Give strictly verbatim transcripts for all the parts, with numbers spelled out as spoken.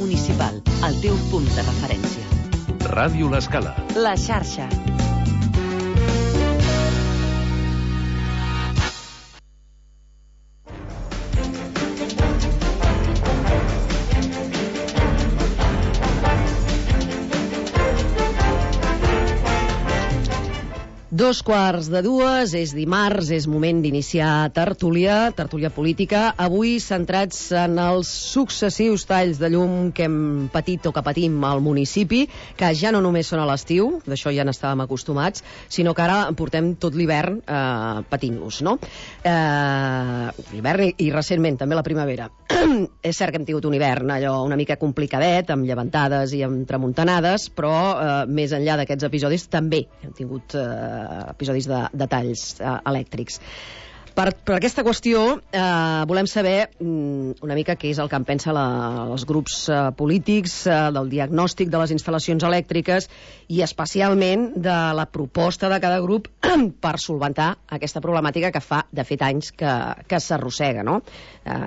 Municipal, el teu punt de referència. Ràdio L'Escala. La xarxa. Dos quarts de dues, és dimarts, és moment d'iniciar tertúlia, tertúlia política, avui centrats en els successius talls de llum que hem patit o que patim al municipi, que ja no només són a l'estiu, d'això ja n'estàvem acostumats, sinó que ara portem tot l'hivern eh, patint-los, no? Eh, l'hivern i, i recentment també la primavera. És cert que hem tingut un hivern allò una mica complicadet, amb llevantades i amb tramuntanades, però eh, més enllà d'aquests episodis també hem tingut eh, episodis de, de talls eh, elèctrics. Per, per aquesta qüestió eh, volem saber mm, una mica què és el que en pensa la, els grups eh, polítics eh, del diagnòstic de les instal·lacions elèctriques i especialment de la proposta de cada grup per solventar aquesta problemàtica que fa de fet anys que, que s'arrossega, no? Eh,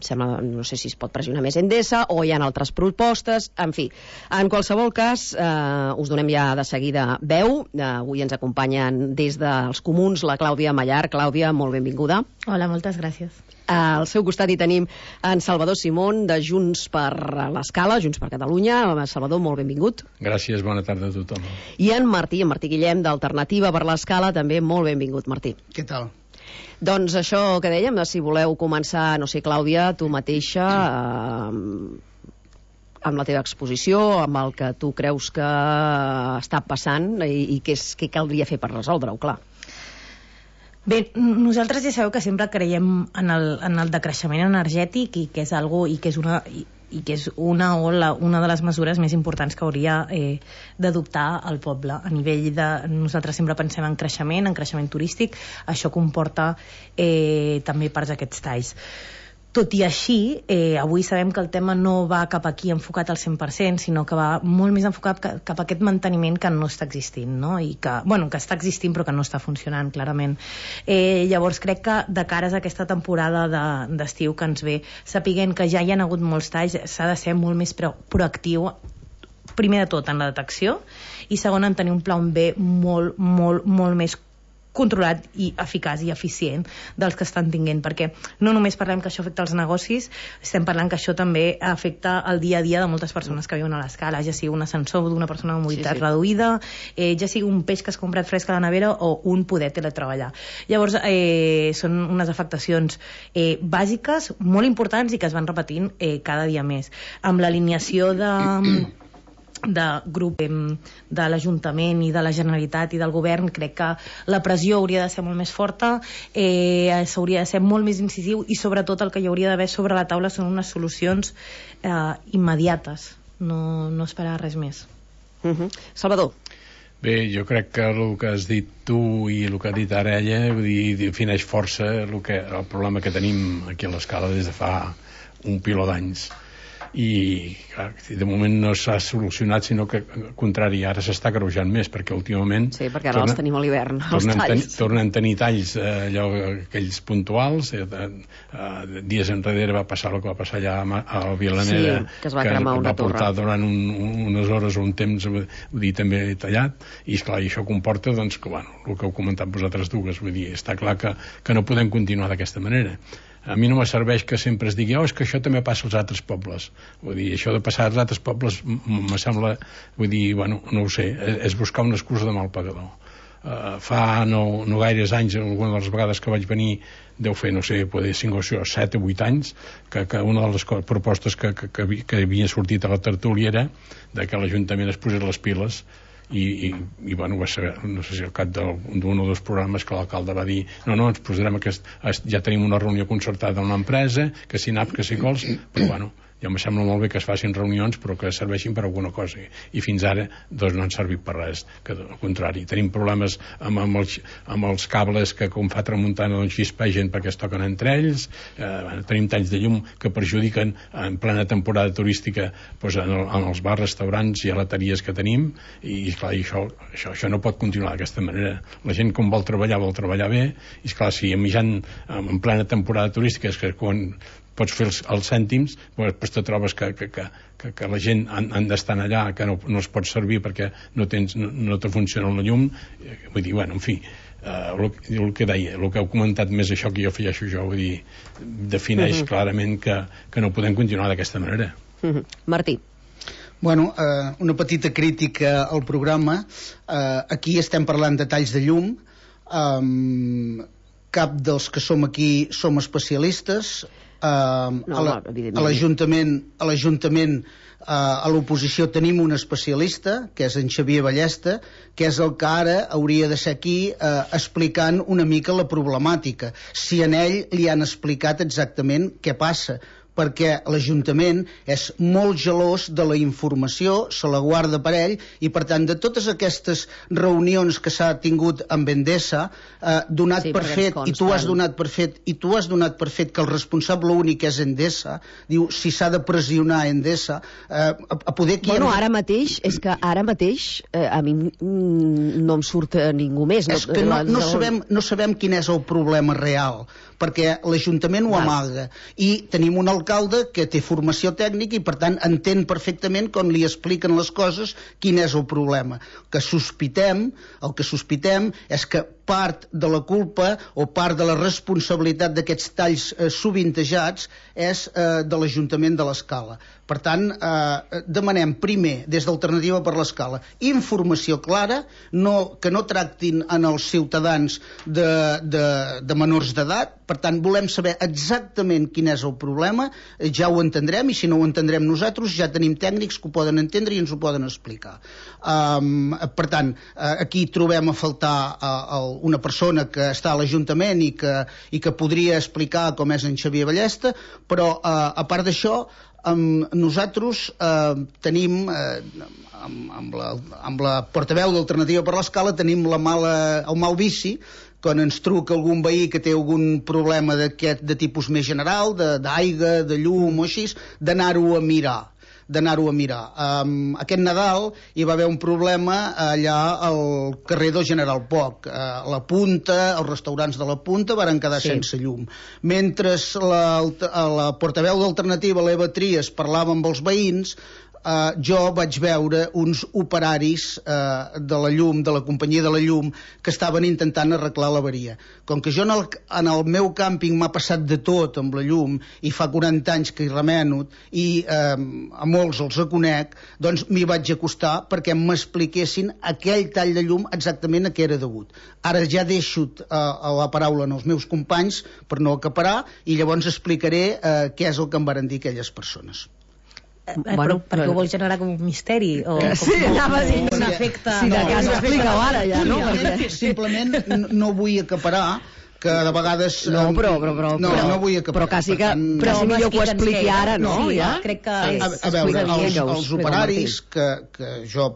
sembla, no sé si es pot pressionar més Endesa o hi ha altres propostes, en fi. En qualsevol cas, eh, us donem ja de seguida veu. Eh, avui ens acompanyen des dels comuns la Clàudia Mallar. Clàudia, molt benvinguda. Hola, moltes gràcies. Al seu costat hi tenim en Salvador Simón, de Junts per l'Escala, Junts per Catalunya. Salvador, molt benvingut. Gràcies, bona tarda a tothom. I en Martí, en Martí Guillem, d'Alternativa per l'Escala, també molt benvingut, Martí. Què tal? Doncs això que dèiem, si voleu començar, no sé, Clàudia, tu mateixa, eh, amb la teva exposició, amb el que tu creus que està passant i, i què, és, què caldria fer per resoldre-ho, clar. Bé, nosaltres ja sabeu que sempre creiem en el, en el decreixement energètic i que és algo, i que és una i, i que és una o la, una de les mesures més importants que hauria eh, d'adoptar el poble. A nivell de... Nosaltres sempre pensem en creixement, en creixement turístic, això comporta eh, també parts d'aquests talls. Tot i així, eh, avui sabem que el tema no va cap aquí enfocat al cent per cent, sinó que va molt més enfocat cap a aquest manteniment que no està existint, no? I que, bueno, que està existint però que no està funcionant, clarament. Eh, llavors crec que de cares a aquesta temporada de, d'estiu que ens ve, sapiguent que ja hi ha hagut molts talls, s'ha de ser molt més pro, proactiu, primer de tot en la detecció i segon en tenir un pla B molt, molt, molt més controlat i eficaç i eficient dels que estan tinguent, perquè no només parlem que això afecta els negocis, estem parlant que això també afecta el dia a dia de moltes persones que viuen a l'Escala, ja sigui un ascensor d'una persona amb mobilitat sí, sí. reduïda, eh, ja sigui un peix que has comprat fresc a la nevera o un poder teletreballar. Llavors, eh, són unes afectacions eh, bàsiques, molt importants i que es van repetint eh, cada dia més. Amb l'alineació de... de grup de l'Ajuntament i de la Generalitat i del Govern, crec que la pressió hauria de ser molt més forta, eh, s'hauria de ser molt més incisiu i sobretot el que hi hauria d'haver sobre la taula són unes solucions eh, immediates, no, no esperar res més. Uh-huh. Salvador. Bé, jo crec que el que has dit tu i el que ha dit ara ella, vull dir, defineix força el, que, el problema que tenim aquí a l'Escala des de fa un piló d'anys. I clar, de moment no s'ha solucionat, sinó que al contrari, ara s'està greujant més, perquè últimament sí, perquè ara torna, els tenim a l'hivern, els tornen, talls ten, tornen a tenir talls eh, allò, aquells puntuals eh, eh, dies enrere va passar el que va passar allà a, a Vilanera, sí, que es va cremar una va portar torre durant un, unes hores o un temps, vull dir, també tallat, i esclar, i això comporta doncs, que, bueno, el que heu comentat vosaltres dues, vull dir, està clar que, que no podem continuar d'aquesta manera. A mi no me serveix que sempre es digui oh, és que això també passa als altres pobles. Vull dir, això de passar als altres pobles me sembla, vull dir, bueno, no ho sé, és buscar una excusa de mal pagador. Uh, fa no, no gaires anys, alguna de les vegades que vaig venir, deu fer, no sé, poder cinc o set o vuit anys, que, que una de les propostes que, que, que, havia, que havia sortit a la tertúlia era de que l'Ajuntament es posés les piles i, i, i bueno, va ser, no sé si al cap d'un o dos programes que l'alcalde va dir no, no, ens posarem aquest, ja tenim una reunió concertada amb l'empresa, que si nap, que si cols, però bueno, ja em sembla molt bé que es facin reunions però que serveixin per alguna cosa i fins ara doncs no han servit per res, que al contrari, tenim problemes amb, amb, els, amb els cables que com fa tramuntana doncs xispegen perquè es toquen entre ells, eh, bueno, tenim talls de llum que perjudiquen en plena temporada turística doncs en, el, en els bars, restaurants i gelateries que tenim i clar, i això, això, això no pot continuar d'aquesta manera. La gent com vol treballar vol treballar bé i esclar, si a mitjan en plena temporada turística és que quan pots fer els, els cèntims, però després te trobes que, que, que, que, que la gent han, han d'estar allà, que no, no es pot servir perquè no, tens, no, no te funciona la llum. Vull dir, bueno, en fi, Uh, el, el que deia, el que heu comentat més això que jo afegeixo jo, vull dir, defineix uh-huh. clarament que, que no podem continuar d'aquesta manera. Uh-huh. Martí. Bueno, uh, una petita crítica al programa. Uh, aquí estem parlant de talls de llum. Um, cap dels que som aquí som especialistes. Uh, no, a, la, a l'Ajuntament a l'Ajuntament Uh, a l'oposició tenim un especialista, que és en Xavier Ballesta, que és el que ara hauria de ser aquí uh, explicant una mica la problemàtica. Si en ell li han explicat exactament què passa, perquè l'Ajuntament és molt gelós de la informació, se la guarda per ell, i per tant de totes aquestes reunions que s'ha tingut amb Endesa, eh, donat sí, per fet, i tu has donat per fet, i tu has donat per fet que el responsable únic és Endesa, diu, si s'ha de pressionar Endesa, eh, a, a poder... Bueno, ara mateix, és que ara mateix eh, a mi no em surt ningú més. És que no, no, sabem, no sabem quin és el problema real, perquè l'Ajuntament ho amaga, i tenim un alcalde que té formació tècnica i per tant entén perfectament com li expliquen les coses quin és el problema. Que sospitem, el que sospitem és que part de la culpa o part de la responsabilitat d'aquests talls eh, sovintejats és eh, de l'Ajuntament de l'Escala. Per tant, eh, demanem primer, des d'Alternativa per l'Escala, informació clara, no, que no tractin en els ciutadans de, de, de menors d'edat. Per tant, volem saber exactament quin és el problema, ja ho entendrem, i si no ho entendrem nosaltres, ja tenim tècnics que ho poden entendre i ens ho poden explicar. Um, per tant, uh, aquí trobem a faltar uh, una persona que està a l'Ajuntament i que, i que podria explicar com és en Xavier Ballesta, però uh, a part d'això, Um, nosaltres uh, tenim uh, amb, amb, la, amb la portaveu d'Alternativa per l'Escala tenim la mala, el mal vici quan ens truca algun veí que té algun problema d'aquest de tipus més general, d'aigua, de, de llum o així, d'anar-ho a mirar d'anar-ho a mirar. Um, aquest Nadal hi va haver un problema allà al carrer del General Poc. Uh, la Punta, els restaurants de la Punta varen quedar sí. sense llum. Mentre la, la portaveu d'Alternativa, l'Eva Trias, parlava amb els veïns, Uh, jo vaig veure uns operaris uh, de la llum, de la companyia de la llum, que estaven intentant arreglar l'avaria. Com que jo en el, en el meu càmping m'ha passat de tot amb la llum, i fa quaranta anys que hi remeno, i uh, a molts els conec, doncs m'hi vaig acostar perquè m'expliquessin aquell tall de llum exactament a què era degut. Ara ja deixo uh, la paraula als meus companys per no acaparar, i llavors explicaré uh, què és el que em varen dir aquelles persones. Eh, bueno, però, perquè ho vols generar com un misteri o com, sí, anava a dir un efecte si de cas ho explica ara ja, no? Simplement no vull acaparar que de vegades no, però, però, però, no, però, no vull acaparar, però quasi que tant, però quasi millor que ho expliqui ara, no? Sí, ja? Crec que a, a veure, els, els operaris que, que jo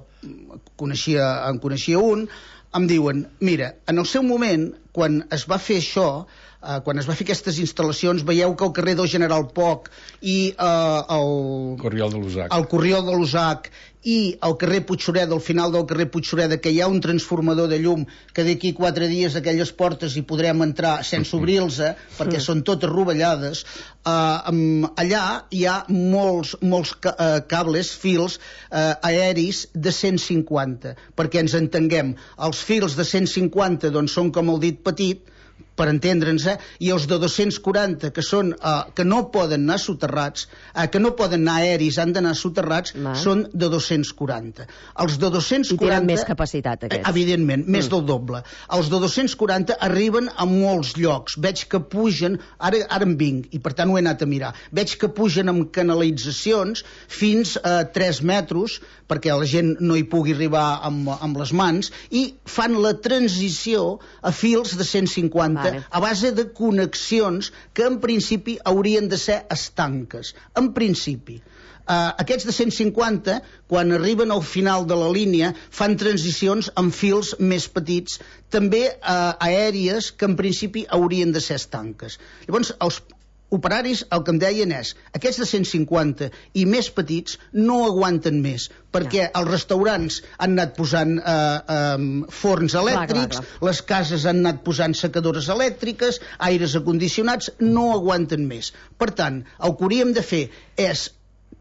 coneixia, en coneixia un, em diuen, mira, en el seu moment quan es va fer això, Uh, quan es va fer aquestes instal·lacions, veieu que el carrer del General Poc i uh, el Corriol de l'Usac el Corriol de l'Usac i el carrer Puigsureda, al final del carrer Puigsureda, que hi ha un transformador de llum que d'aquí quatre dies aquelles portes hi podrem entrar sense obrir-los, eh, perquè són totes rovellades. Uh, um, allà hi ha molts, molts ca uh, cables, fils uh, aeris de cent cinquanta, perquè ens entenguem. Els fils de cent cinquanta doncs, són com el dit petit, per entendre'ns, eh? I els de dos-cents quaranta, que són uh, que no poden anar soterrats, uh, que no poden anar aeris, han d'anar soterrats, Va. són de dos-cents quaranta. Els de dos-cents quaranta... I tenen més capacitat, aquests. Evidentment, mm. més del doble. Els de dos-cents quaranta arriben a molts llocs. Veig que pugen, ara, ara en vinc, i per tant ho he anat a mirar, veig que pugen amb canalitzacions fins a tres metres, perquè la gent no hi pugui arribar amb, amb les mans, i fan la transició a fils de cent cinquanta, vale. A base de connexions que en principi haurien de ser estanques. En principi. Uh, aquests de cent cinquanta, quan arriben al final de la línia, fan transicions amb fils més petits, també uh, aèries, que en principi haurien de ser estanques. Llavors, els operaris el que em deien és aquests de cent cinquanta i més petits no aguanten més perquè ja. Els restaurants han anat posant eh, eh, forns elèctrics, clar, clar, clar. Les cases han anat posant secadores elèctriques, aires acondicionats, no aguanten més. Per tant, el que hauríem de fer és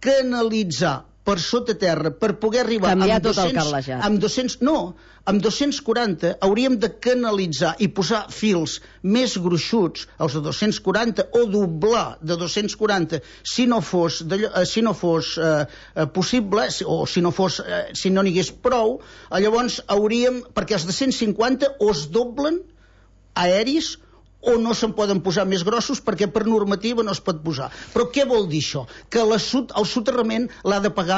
canalitzar per sota terra per poder arribar canviar amb tot dos-cents, el cablejat. amb dos-cents, no, amb dos-cents quaranta hauríem de canalitzar i posar fils més gruixuts, els de dos-cents quaranta, o doblar de dos-cents quaranta si no fos, de, si no fos eh, possible, o si no fos eh, si no n'hi hagués prou, llavors hauríem, perquè els de cent cinquanta o es doblen aeris o no se'n poden posar més grossos perquè per normativa no es pot posar. Però què vol dir això? Que la, el soterrament l'ha de pagar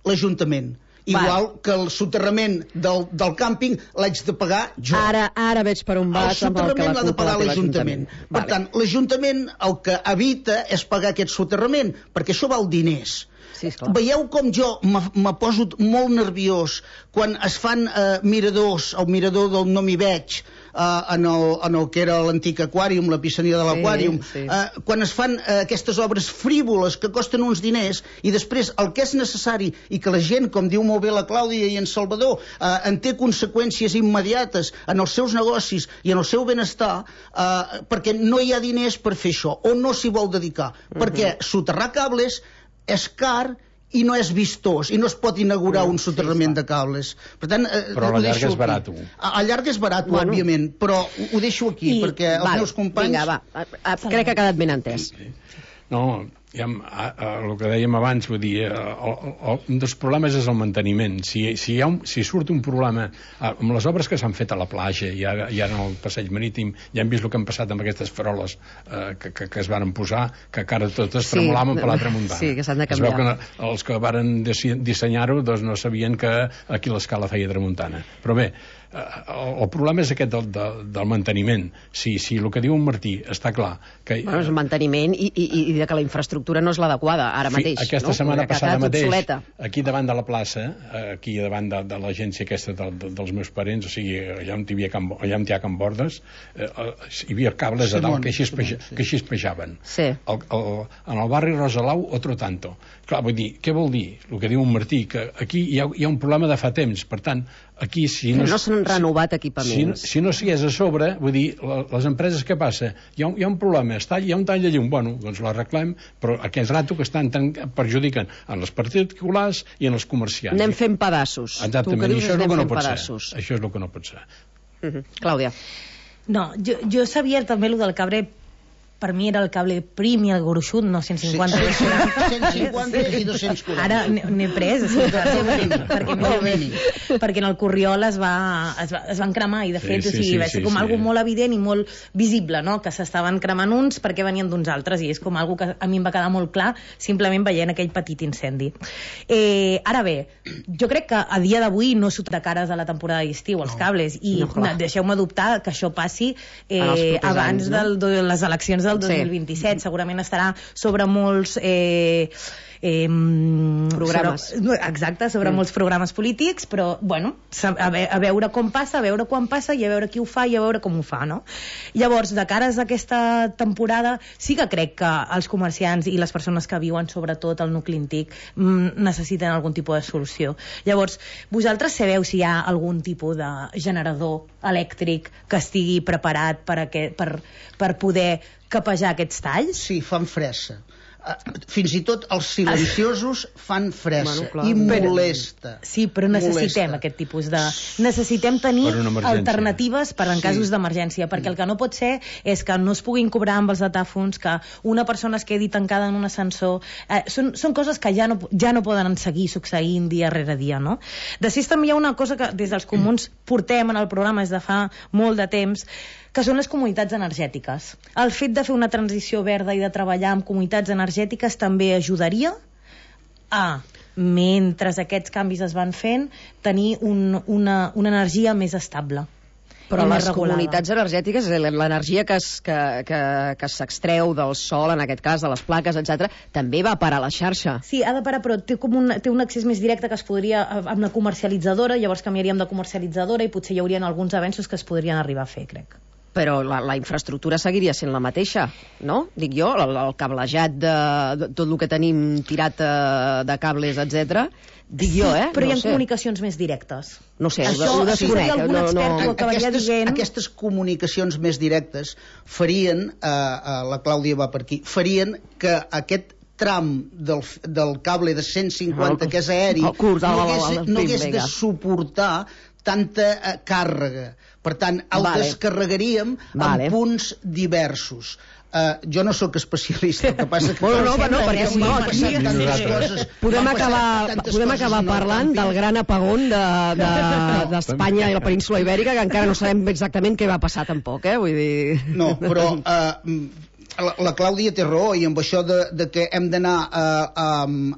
l'Ajuntament. Igual Va. Que el soterrament del, del càmping l'haig de pagar jo. Ara, ara veig per on vas amb el que la l'ha de pagar l'Ajuntament. Per vale. Tant, l'Ajuntament el que evita és pagar aquest soterrament, perquè això val diners. Sí, veieu com jo me poso molt nerviós quan es fan eh, miradors, el mirador del No m'hi veig, eh, en, el, en el que era l'antic aquàrium, la piscina de l'aquàrium, sí, sí. eh, quan es fan eh, aquestes obres frívoles que costen uns diners i després el que és necessari i que la gent, com diu molt bé la Clàudia i en Salvador, eh, en té conseqüències immediates en els seus negocis i en el seu benestar, eh, perquè no hi ha diners per fer això o no s'hi vol dedicar, uh-huh. perquè soterrar cables és car i no és vistós i no es pot inaugurar un soterrament de cables. Per tant, eh, però a la llarga és barat. A, a llarga és barat, bueno. Òbviament, però ho, ho deixo aquí I, perquè els vale, meus companys... Vinga, va, a, a, crec que ha quedat ben entès. No, ja, a, a, el que dèiem abans, vull dir, el, el, un dels problemes és el manteniment. Si, si, hi ha un, si surt un problema amb les obres que s'han fet a la platja i ara, i ara en el passeig marítim, ja hem vist el que han passat amb aquestes faroles eh, que, que, que es varen posar, que encara totes sí, tremolaven per la tramuntana. Sí, que s'han de canviar. Es veu que els que varen dissenyar-ho doncs no sabien que aquí l'escala feia tramuntana. Però bé, el, el problema és aquest del, del, del manteniment. Si, si el que diu en Martí està clar que... Bueno, és un manteniment i, i, i de que la infraestructura no és l'adequada ara mateix. Sí, aquesta no? setmana passada mateix, obsoleta. Aquí davant de la plaça, aquí davant de, de l'agència aquesta de, de, dels meus parents, o sigui, allà on hi havia Can, allà on hi ha Can Bordes, eh, hi havia cables a dalt que així es pejaven. Sí. El, el, en el barri Rosalau, otro tanto. Clar, vull dir, què vol dir? El que diu en Martí, que aquí hi ha, hi ha un problema de fa temps, per tant, aquí si no... no s'han renovat equipaments. Si, si no s'hi és a sobre, vull dir, les empreses, què passa? Hi ha un, hi ha un problema, està, hi ha un tall de llum, bueno, doncs l'arreglem, però aquest rato que estan tan perjudiquen en les particulars i en els comerciants. Anem fent pedaços. Exactament, i això és el que no pot ser. Això és el que no pot ser. Uh-huh. Clàudia. No, jo, jo sabia també el del cabre. Per mi era el cable prim i el gruixut, no cent cinquanta. Sí, cent cinquanta i dos-cents quaranta. Ara n'he pres, sí, perquè, perquè, no, perquè en el Corriol es, va, es, va, es van cremar i de fet sí, sí, o sigui, va ser sí, com sí. algo molt evident i molt visible, no? Que s'estaven cremant uns perquè venien d'uns altres i és com algo que a mi em va quedar molt clar simplement veient aquell petit incendi. Eh, ara bé, jo crec que a dia d'avui no surt de cares a la temporada d'estiu els cables i no, deixeu-me dubtar que això passi eh, abans anys, no? del, de les eleccions del dos mil vint-i-set, sí. Segurament estarà sobre molts eh, eh, programes sobre, exacte, sobre mm. molts programes polítics, però bueno, a, ve, a veure com passa, a veure quan passa i a veure qui ho fa i a veure com ho fa, no? Llavors, de cares a aquesta temporada sí que crec que els comerciants i les persones que viuen sobretot al nucli antic mm, necessiten algun tipus de solució. Llavors, vosaltres sabeu si hi ha algun tipus de generador elèctric que estigui preparat per, aquest, per, per poder capejar aquests talls? Sí, fan fressa. Fins i tot els silenciosos fan fressa bueno, i molesta. Sí, però necessitem molesta. Aquest tipus de... Necessitem tenir alternatives per en sí. casos d'emergència, perquè el que no pot ser és que no es puguin cobrar amb els datàfons, que una persona es quedi tancada en un ascensor... Eh, són, són coses que ja no, ja no poden seguir succeint dia rere dia, no? Després també hi ha una cosa que des dels comuns portem en el programa des de fa molt de temps, que són les comunitats energètiques. El fet de fer una transició verda i de treballar amb comunitats energètiques també ajudaria a, mentre aquests canvis es van fent, tenir un, una, una energia més estable. Però les comunitats energètiques, l'energia que, es, que, que, que s'extreu del sol, en aquest cas, de les plaques, etcètera, també va parar a la xarxa. Sí, ha de parar, però té, com un, té un accés més directe que es podria, amb la comercialitzadora, llavors canviaríem de comercialitzadora i potser hi haurien alguns avenços que es podrien arribar a fer, crec. però la, la infraestructura seguiria sent la mateixa, no? Dic jo, el, el cablejat de, de tot el que tenim tirat uh, de cables, etcètera. Dic jo, eh? Però no hi ha sé. comunicacions més directes. No sé, Això, ho desconec. sí, algun no, no... expert ho acabaria aquestes, dient. aquestes comunicacions més directes farien, eh, eh, la Clàudia va per aquí, farien que aquest tram del, del cable de cent cinquanta, el, que és aeri, el curs, no el, hagués, el, el, no hagués pim, de vinga. suportar tanta eh, càrrega. Per tant, el Vale. descarregaríem Vale. en punts diversos. Uh, jo no sóc especialista, el que passa que... Bueno, no, no, perquè si no, van aquí passar tantes coses, podem van passar acabar, tantes podem coses acabar en el parlant càmping. del gran apagón d'Espanya de, de, i la península Ibèrica, que encara no sabem exactament què va passar tampoc, eh? Vull dir... No, però uh, la, la Clàudia té raó, i amb això de, de que hem d'anar a, a,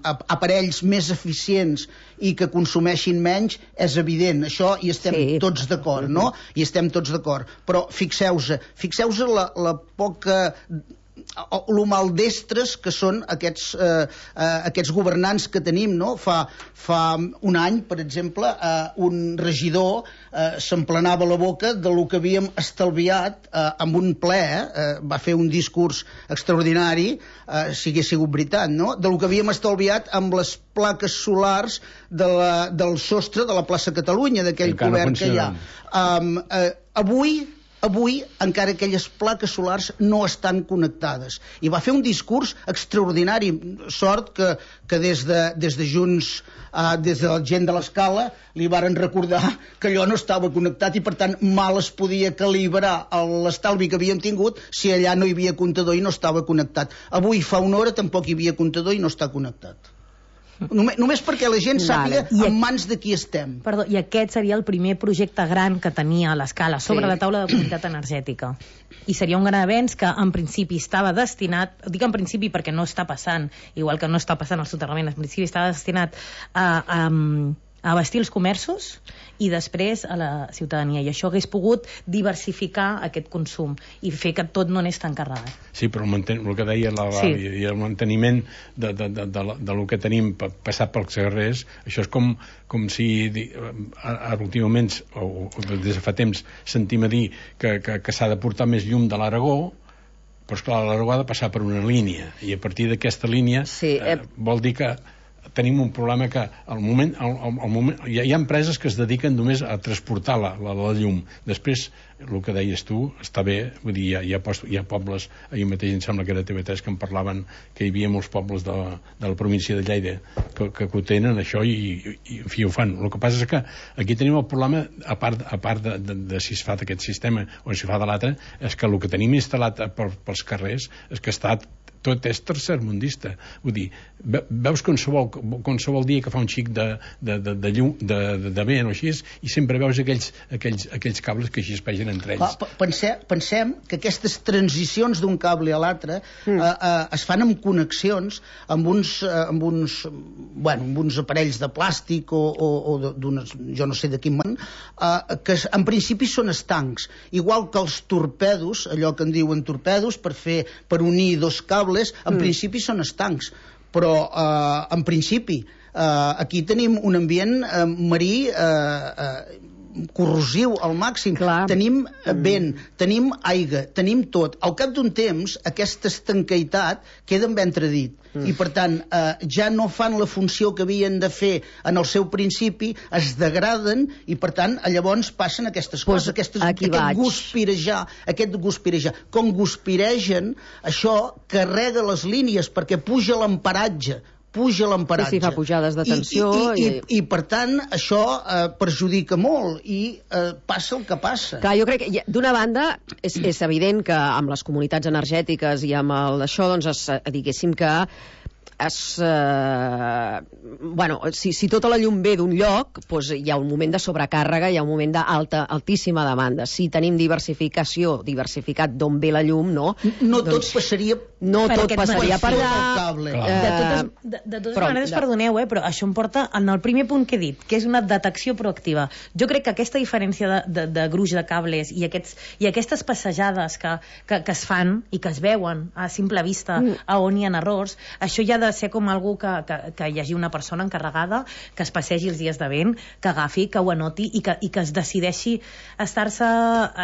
a aparells més eficients i que consumeixin menys, és evident, això hi estem Sí. tots d'acord, no? Hi estem tots d'acord, però fixeu-vos, fixeu-vos la, la poca... lo maldestres que són aquests, eh, eh, aquests governants que tenim, no? Fa, fa un any, per exemple, eh, un regidor eh, s'emplenava la boca de lo que havíem estalviat eh, amb un ple, eh, va fer un discurs extraordinari, eh, si hagués sigut veritat, no? De lo que havíem estalviat amb les plaques solars de la, del sostre de la plaça Catalunya, d'aquell Encara no cobert que hi ha. Um, eh, avui Avui, encara aquelles plaques solars no estan connectades. I va fer un discurs extraordinari. Sort que, que des, de, des de Junts, uh, des de la gent de l'Escala, li varen recordar que allò no estava connectat i, per tant, mal es podia calibrar l'estalvi que havíem tingut si allà no hi havia comptador i no estava connectat. Avui, fa una hora, tampoc hi havia comptador i no està connectat. Només, només perquè la gent sàpiga Vale. en mans de qui estem. Perdó, i aquest seria el primer projecte gran que tenia a l'Escala sobre Sí. la taula de comunitat energètica. I seria un gran avenç que en principi estava destinat, dic en principi perquè no està passant, igual que no està passant el soterrament, en principi estava destinat a, a, a abastir els comerços i després a la ciutadania. I això hagués pogut diversificar aquest consum i fer que tot no anés tan carregat. Sí, però el, manten el que deia la, la, Sí. i el manteniment de, de, de, de, de, de lo que tenim passat pels carrers, això és com, com si di, ara últimament o, o des de fa temps sentim a dir que, que, que s'ha de portar més llum de l'Aragó, però esclar, l'Aragó ha de passar per una línia i a partir d'aquesta línia Sí, eh... eh, vol dir que tenim un problema que al moment, al, al moment hi, ha, hi ha empreses que es dediquen només a transportar la, la, la llum. Després, el que deies tu, està bé, vull dir, hi ha, hi ha, post, hi ha pobles, ahir mateix em sembla que era T V tres que en parlaven, que hi havia molts pobles de, la, de la província de Lleida que, que, que ho tenen, això, i, i en fi, ho fan. El que passa és que aquí tenim el problema, a part, a part de, de, de si es fa d'aquest sistema o si es fa de l'altre, és que el que tenim instal·lat per, pels carrers és que està tot és tercermundista. Vull dir, veus qualsevol, qualsevol dia que fa un xic de, de, de, de llum, de, de, de vent o així, i sempre veus aquells, aquells, aquells cables que així es pegen entre ells. Clar, pensem, pensem que aquestes transicions d'un cable a l'altre mm. eh, eh, es fan amb connexions amb uns, eh, amb uns, bueno, amb uns aparells de plàstic o, o, o d'unes, jo no sé de quin man, eh, que en principi són estancs, igual que els torpedos, allò que en diuen torpedos, per fer, per unir dos cables, en mm. principi són estancs, però eh, en principi eh, aquí tenim un ambient eh, marí eh, eh, corrosiu al màxim. Clar. Tenim vent, tenim aigua, tenim tot. Al cap d'un temps, aquesta estanqueitat queda en ventre dit. Mm. I, per tant, eh, ja no fan la funció que havien de fer en el seu principi, es degraden i, per tant, llavors passen aquestes Pues coses, aquestes, aquí aquest vaig. guspirejar, aquest guspirejar. Com guspiregen, això carrega les línies perquè puja l'amparatge, puja l'amparatge. Sí, sí, fa pujades de tensió I, i, i, i- i, i per tant, això eh, perjudica molt i eh, passa el que passa. Clar, jo crec que, hi- d'una banda, és, és evident que amb les comunitats energètiques i amb el d'això, doncs, es, diguéssim que es, eh, bueno, si, si tota la llum ve d'un lloc, doncs hi ha un moment de sobrecàrrega, hi ha un moment d'alta, altíssima demanda. Si tenim diversificació, diversificat d'on ve la llum, no? No doncs, tot passaria no per tot aquest passaria per mateix allà. cable. Clar. De Eh, totes, de, de totes però- maneres, de- perdoneu, eh, però això em porta en el primer punt que he dit, que és una detecció proactiva. Jo crec que aquesta diferència de, de, de gruix de cables i, aquests, i aquestes passejades que, que, que es fan i que es veuen a simple vista Mm. a on hi ha errors, això ja de ser com algú que, que, que hi hagi una persona encarregada, que es passegi els dies de vent, que agafi, que ho anoti i que, i que es decideixi estar-se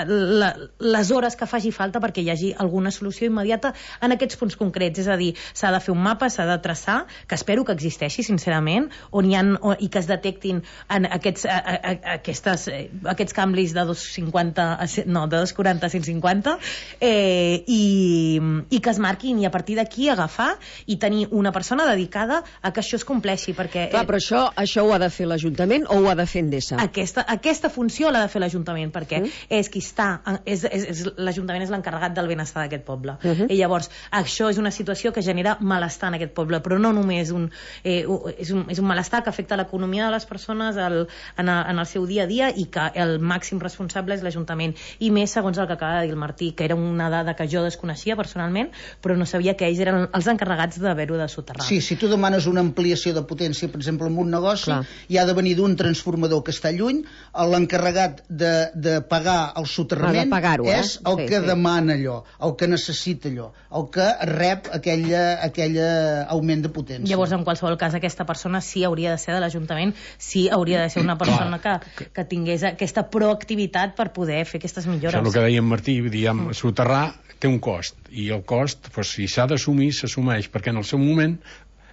la, les hores que faci falta perquè hi hagi alguna solució immediata en aquests punts concrets. És a dir, s'ha de fer un mapa, s'ha de traçar, que espero que existeixi, sincerament, on hi ha, on, i que es detectin en aquests, a, a, a, aquestes, aquests canvis de dos cinquanta, no, de dos quaranta a cent cinquanta, eh, i, i que es marquin, i a partir d'aquí agafar i tenir una persona dedicada a que això es compleixi, perquè... Clar, però això, això ho ha de fer l'Ajuntament o ho ha de fer Endesa? Aquesta, aquesta funció l'ha de fer l'Ajuntament, perquè mm. és qui està... És, és, és, l'Ajuntament és l'encarregat del benestar d'aquest poble. Uh -huh. I llavors, això és una situació que genera malestar en aquest poble, però no només un... Eh, és, un és un malestar que afecta l'economia de les persones el, en, el, en el seu dia a dia, i que el màxim responsable és l'Ajuntament. I més, segons el que acaba de dir el Martí, que era una dada que jo desconeixia personalment, però no sabia que ells eren els encarregats d'haver-ho de soterrar. Sí, si tu demanes una ampliació de potència, per exemple, en un negoci, clar, hi ha de venir d'un transformador que està lluny, l'encarregat de, de pagar el soterrament eh? és el sí, que sí. demana allò, el que necessita allò, el que rep aquella, aquella augment de potència. Llavors, en qualsevol cas, aquesta persona sí hauria de ser de l'Ajuntament, sí hauria de ser una persona que, que tingués aquesta proactivitat per poder fer aquestes millores. Això és el que deia en Martí, diguem, soterrar té un cost, i el cost, doncs, si s'ha d'assumir, s'assumeix, perquè en el seu moment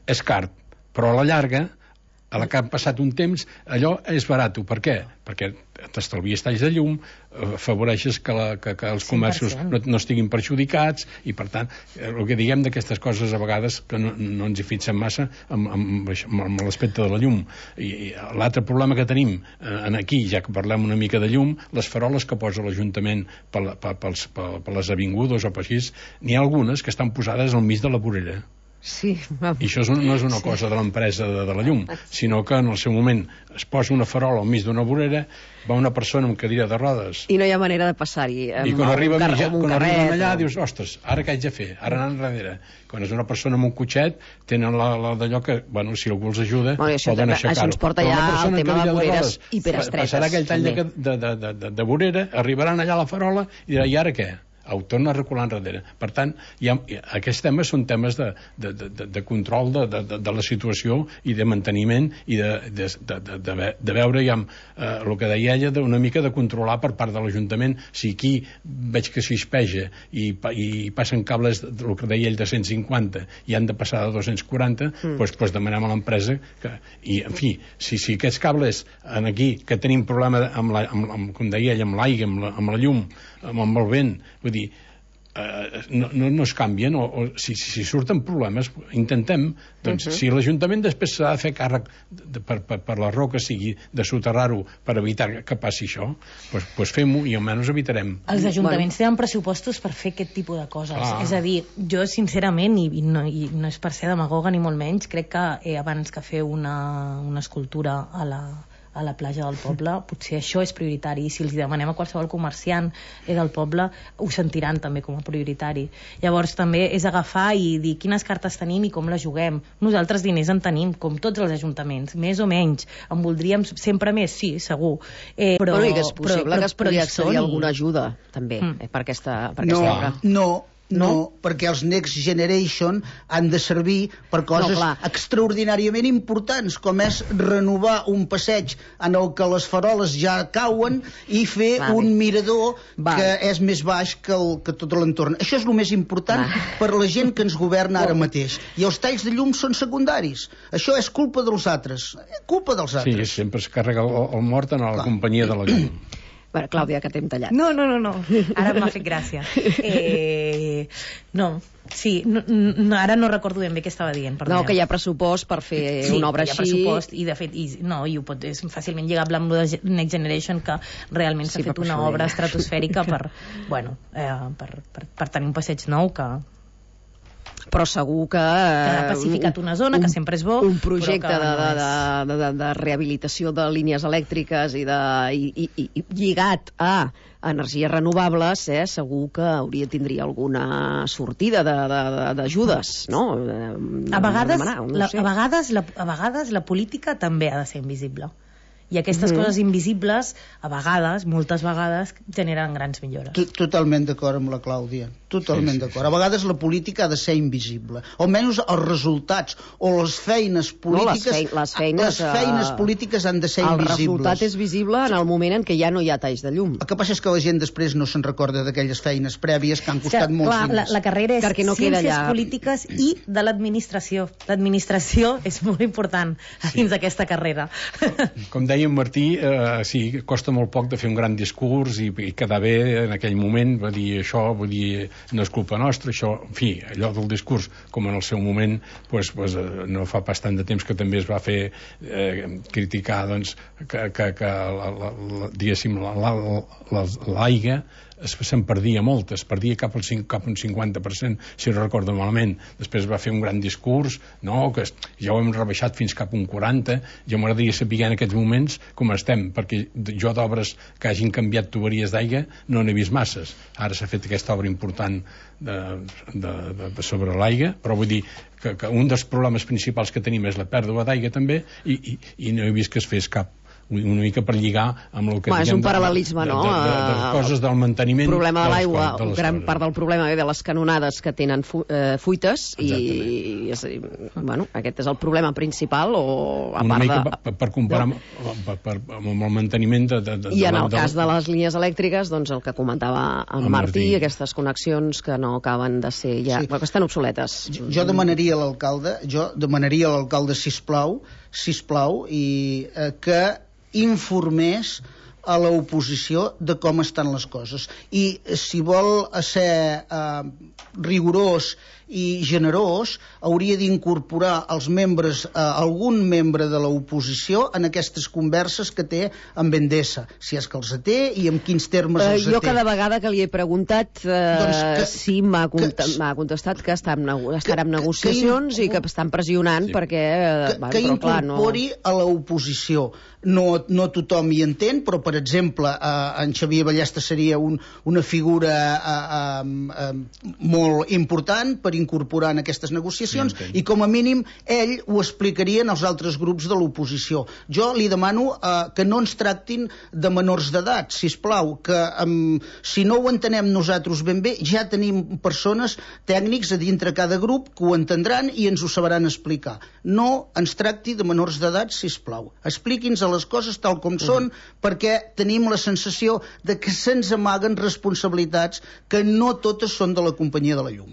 és car, però a la llarga, a la que ha passat un temps, allò és barat. Per què? Perquè t'estalvies talls de llum, afavoreixes que, la, que, que els comerços no, no estiguin perjudicats, i per tant, el que diguem d'aquestes coses a vegades que no, no ens hi fixem massa amb, amb, amb l'aspecte de la llum. I, i l'altre problema que tenim eh, aquí, ja que parlem una mica de llum, les faroles que posa l'Ajuntament per, per, per, per, per les avingudes o per així, n'hi ha algunes que estan posades al mig de la vorera. Sí. I això és un, no és una cosa de l'empresa de, de la llum, sinó que en el seu moment es posa una farola al mig d'una vorera, va una persona amb cadira de rodes i no hi ha manera de passar-hi. I quan arriba mitja, quan arriben allà o... dius, ostres, ara què haig de fer? Ara anant darrere. Quan és una persona amb un cotxet, tenen la, la d'allò que, bueno, si algú els ajuda, bueno, això, poden aixecar-ho. Això ens porta ja al tema de voreres hiperestretes. Passarà aquell tall de, de, de, de, de vorera, arribaran allà a la farola i dirà, i ara què? Ho torna a recular enrere. Per tant, hi ha, aquests temes són temes de, de, de, de control de, de, de la situació i de manteniment i de, de, de, de, de, de veure ja, eh, el que deia ella, una mica de controlar per part de l'Ajuntament. Si aquí veig que s'hispeja i, i passen cables, el que deia ell, de cent cinquanta i han de passar de dos-cents quaranta, mm. doncs, doncs demanem a l'empresa que, i en fi, si, si aquests cables en aquí, que tenim problema amb, la, amb, amb com deia ell, amb l'aigua, amb, la, amb la llum, amb, amb el vent, vull dir, eh, no, no, no es canvien, o, o si, si surten problemes, intentem, doncs, uh -huh. si l'Ajuntament després s'ha de fer càrrec de, per, per, per la raó que sigui, de soterrar-ho per evitar que passi això, doncs, doncs fem-ho i almenys evitarem. Els ajuntaments tenen pressupostos per fer aquest tipus de coses. Ah. És a dir, jo sincerament, i, i, no, i no és per ser demagoga ni molt menys, crec que eh, abans que fer una, una escultura a la a la platja del poble, potser això és prioritari, i si els demanem a qualsevol comerciant del poble, ho sentiran també com a prioritari. Llavors també és agafar i dir quines cartes tenim i com les juguem. Nosaltres diners en tenim, com tots els ajuntaments, més o menys. En voldríem sempre més, sí, segur. Eh, però, però i que és possible però, però, que es pugui accedir i... alguna ajuda, també, mm. eh, per aquesta, per no, aquesta obra. No, No, no, perquè els Next Generation han de servir per coses no, extraordinàriament importants, com és renovar un passeig en el que les faroles ja cauen i fer vale. un mirador vale. que és més baix que, el, que tot l'entorn. Això és el més important vale. per la gent que ens governa ara mateix. I els talls de llum són secundaris. Això és culpa dels altres. Culpa dels altres. Sí, sempre es carrega el, el mort en la Clar. companyia de la llum. Bueno, Clàudia, que t'hem tallat. No, no, no, no. Ara m'ha fet gràcia. Eh, no, sí, no, no, ara no recordo ben bé què estava dient. No, que hi ha pressupost per fer sí, una obra així. Sí, hi ha pressupost, i de fet, i, no, i ho pot, és fàcilment lligable amb el de Next Generation, que realment s'ha sí, fet una obra estratosfèrica per, bueno, eh, per, per, per tenir un passeig nou que... però segur que... que ha pacificat una zona, un, que sempre és bo. Un projecte de, no de, de, de, de rehabilitació de línies elèctriques i, de, i, i, i lligat a energies renovables, eh, segur que hauria tindria alguna sortida d'ajudes, no? A vegades, demanar, no la, sé. a, vegades la, a vegades la política també ha de ser invisible. I aquestes Mhm. coses invisibles, a vegades, moltes vegades, generen grans millores. T- Totalment d'acord amb la Clàudia. Totalment Sí, sí, d'acord. sí. A vegades la política ha de ser invisible. O almenys els resultats o les feines polítiques... les fei- les feines, les feines eh, polítiques han de ser El invisibles. resultat és visible en el moment en què ja no hi ha talls de llum. El que passa és que la gent després no se'n recorda d'aquelles feines prèvies que han costat O sigui, molts clar, la, diners. la carrera és Perquè no queda ciències allà. polítiques i de l'administració. L'administració és molt important Sí. dins d'aquesta carrera. Com deia en Martí, eh, sí, costa molt poc de fer un gran discurs i, i quedar bé en aquell moment, va dir això, vull dir, no és culpa nostra, això, en fi, allò del discurs, com en el seu moment, pues, pues, eh, no fa pas tant de temps que també es va fer eh, criticar, doncs, que, que, que la, la, la, diguéssim, la, la, la, l'aigua es- se'n perdia molt, es perdia cap al cinc, cap a un cinquanta per cent, si no recordo malament. Després va fer un gran discurs, no, que es- ja ho hem rebaixat fins cap a un quaranta. Jo m'agradaria saber en aquests moments com estem, perquè jo d'obres que hagin canviat tuberies d'aigua no n'he vist masses. Ara s'ha fet aquesta obra important de, de, de, de sobre l'aigua, però vull dir que, que un dels problemes principals que tenim és la pèrdua d'aigua també, i, i, i no he vist que es fes cap, una mica per lligar amb el que Home, és diguem un paral·lelisme, de, no? de, de, de, de coses del manteniment El problema de les l'aigua, coses, de les gran coses. part del problema ve de les canonades que tenen fu eh, fuites i, Exactament. és a dir, bueno, aquest és el problema principal o a una part mica de... per, per comparar amb, per, per, amb el manteniment de, de, de, I en de, el cas de les línies elèctriques, doncs el que comentava en El Martí, Martí. aquestes connexions que no acaben de ser ja... Sí. Sí. que estan obsoletes. Jo, jo demanaria a l'alcalde, jo demanaria a l'alcalde, sisplau, sisplau, i eh, que informés a l'oposició de com estan les coses. I si vol ser eh, rigorós i generós, hauria d'incorporar els membres, eh, algun membre de l'oposició en aquestes converses que té amb Endesa, si és que els té i en quins termes Eh, els jo té. cada vegada que li he preguntat eh, Doncs que- sí m'ha cont que- m'ha contestat que està en, nego estarà en que- negociacions que- i que estan pressionant Sí. perquè eh, que, bueno, que però, clar, no... incorpori a l'oposició. No, no tothom hi entén, però, per exemple, eh, en Xavier Ballesta seria un, una figura eh, eh, eh, molt important per incorporar en aquestes negociacions, Sí, i com a mínim ell ho explicaria als altres grups de l'oposició. Jo li demano eh, que no ens tractin de menors d'edat, sisplau, que eh, si no ho entenem nosaltres ben bé, ja tenim persones tècnics a dintre cada grup que ho entendran i ens ho sabran explicar. No ens tracti de menors d'edat, sisplau. Expliqui'ns a les coses tal com són, perquè tenim la sensació de que se'ns amaguen responsabilitats que no totes són de la companyia de la llum.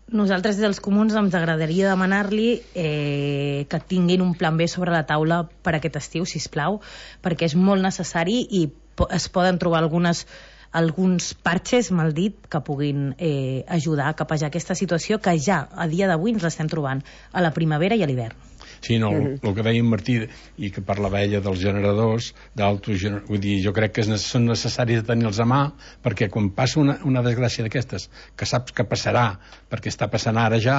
Nosaltres des dels comuns ens agradaria demanar-li eh, que tinguin un plan B sobre la taula per aquest estiu, sisplau, perquè és molt necessari i po es poden trobar algunes alguns parxes, mal dit, que puguin eh, ajudar a capejar aquesta situació que ja a dia d'avui ens l'estem trobant a la primavera i a l'hivern. Sí, no, el, el que deia en Martí i que parlava ella dels generadors d'autogener... vull dir, jo crec que és, són necessaris de tenir-los a mà, perquè quan passa una, una desgràcia d'aquestes, que saps que passarà, perquè està passant ara ja,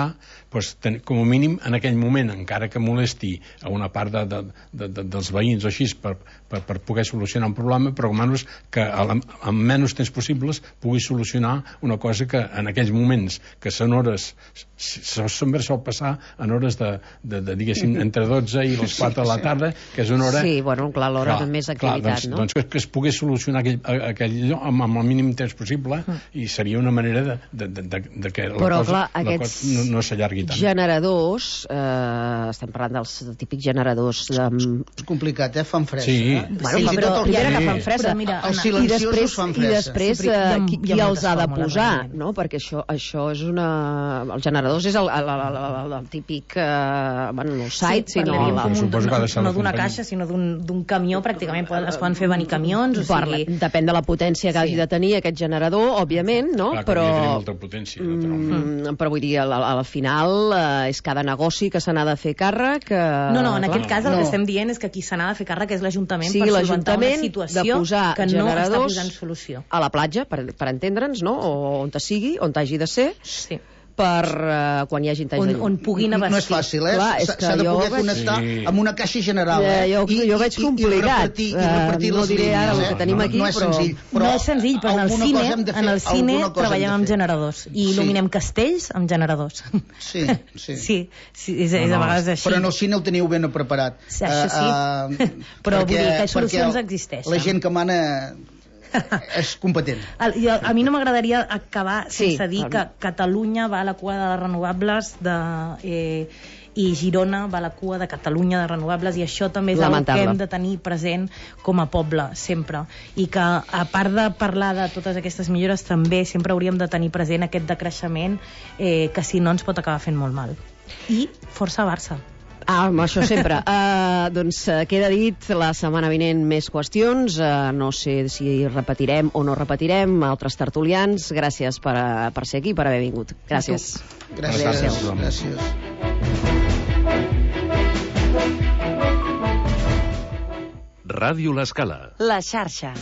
doncs, ten, com a mínim en aquell moment, encara que molesti a una part de, de, de, de, dels veïns o així per, per, per poder solucionar un problema, però almenys que amb menys temps possibles pugui solucionar una cosa que en aquells moments, que són hores, sempre sol passar en hores de, de, de diguéssim, entre dotze i les quatre de la tarda, que és una hora... Sí, bueno, clar, l'hora de més activitat, clar, doncs, no? Doncs que, que es pogués solucionar aquell, aquell lloc amb, amb el mínim temps possible mm. i seria una manera de, de, de, de, de que la Però, cosa, clar, la aquests cosa no, no s'allargui tant. generadors, eh, estem parlant dels típics generadors de... És complicat, eh? Fan fresa. Sí. Eh? Bueno, Fins però, i tot el primera que- que fan fresa. Però mira, Els Anna, I silenciosos després, fan i fresa. després Sí, eh, hi ha- qui, hi ha qui els moltes ha de fórmules, posar, realment. no? Perquè això, això és una... Els generadors és el, el, el, el, el típic... Eh, bueno, no el site, sí, sinó... parlaríem La, com un- Suposo que ha de ser no la d'una companyia. caixa, sinó d'un camió, pràcticament poden, es poden fer venir camions, o Parla, sigui... depèn de la potència que Sí. hagi de tenir aquest generador, òbviament, no? Clar, que però, hauria de tenir molta potència, naturalment. mm, però vull dir, al, al final eh, és cada negoci que se n'ha de fer càrrec. Eh, No, no, en clar, aquest cas el no. que estem dient és que qui se n'ha de fer càrrec és l'Ajuntament sigui per solventar una l'Ajuntament de situació posar que no està generadors posant solució. a la platja, per, per entendre'ns, no? O on te sigui, on t'hagi de ser, Sí. per uh, quan hi hagi talls on, de llum. on puguin abastir. No és fàcil, eh? S'ha de poder veig... connectar sí. amb una caixa general. Eh? Jo, jo, jo veig complicat. I repartir, i repartir uh, les no diré línies, ara el eh? que tenim no, aquí, no és però... senzill. Però no és senzill, però en el cine, en el cine treballem amb generadors i il·luminem sí. castells amb generadors. Sí, sí. sí, sí és, és a vegades així. Però en el cine ho teniu ben preparat. Sí, això sí. Uh, uh, però perquè, vull dir que solucions existeixen. La gent que mana és competent. El, jo, a mi no m'agradaria acabar sí, sense dir que Catalunya va a la cua de les renovables de, eh, i Girona va a la cua de Catalunya de renovables, i això també és el que hem de tenir present com a poble sempre, i que a part de parlar de totes aquestes millores també sempre hauríem de tenir present aquest decreixement eh, que si no ens pot acabar fent molt mal. I força Barça. Ah, amb això sempre. Uh, doncs uh, queda dit, la setmana vinent més qüestions. Uh, no sé si repetirem o no repetirem. Altres tertulians, gràcies per, uh, per ser aquí, per haver vingut. Gràcies. Gràcies. Gràcies. gràcies. Ràdio L'Escala. La xarxa.